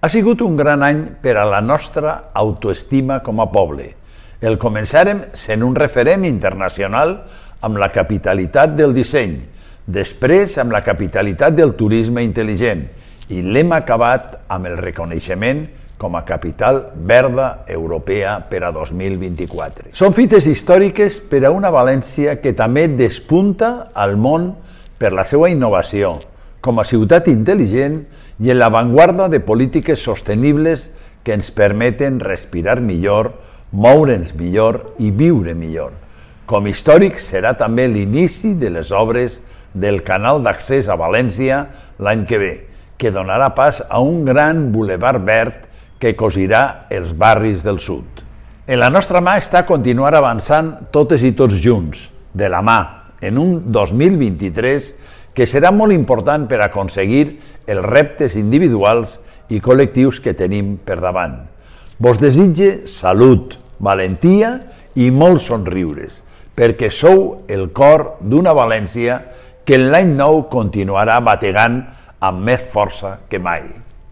Ha sigut un gran any per a la nostra autoestima com a poble. El començàrem sent un referent internacional amb la capitalitat del disseny, després amb la capitalitat del turisme intel·ligent i l'hem acabat amb el reconeixement com a capital verda europea per a 2024. Són fites històriques per a una València que també despunta al món per la seva innovació, com a ciutat intel·ligent i en l'avantguarda de polítiques sostenibles que ens permeten respirar millor, moure'ns millor i viure millor. Com històric serà també l'inici de les obres del canal d'accés a València l'any que ve, que donarà pas a un gran bulevard verd que cosirà els barris del sud. En la nostra mà està continuar avançant totes i tots junts, de la mà, en un 2023 que serà molt important per aconseguir els reptes individuals i col·lectius que tenim per davant. Vos desitge salut, valentia i molts somriures, perquè sou el cor d'una València que en l'any nou continuarà bategant amb més força que mai.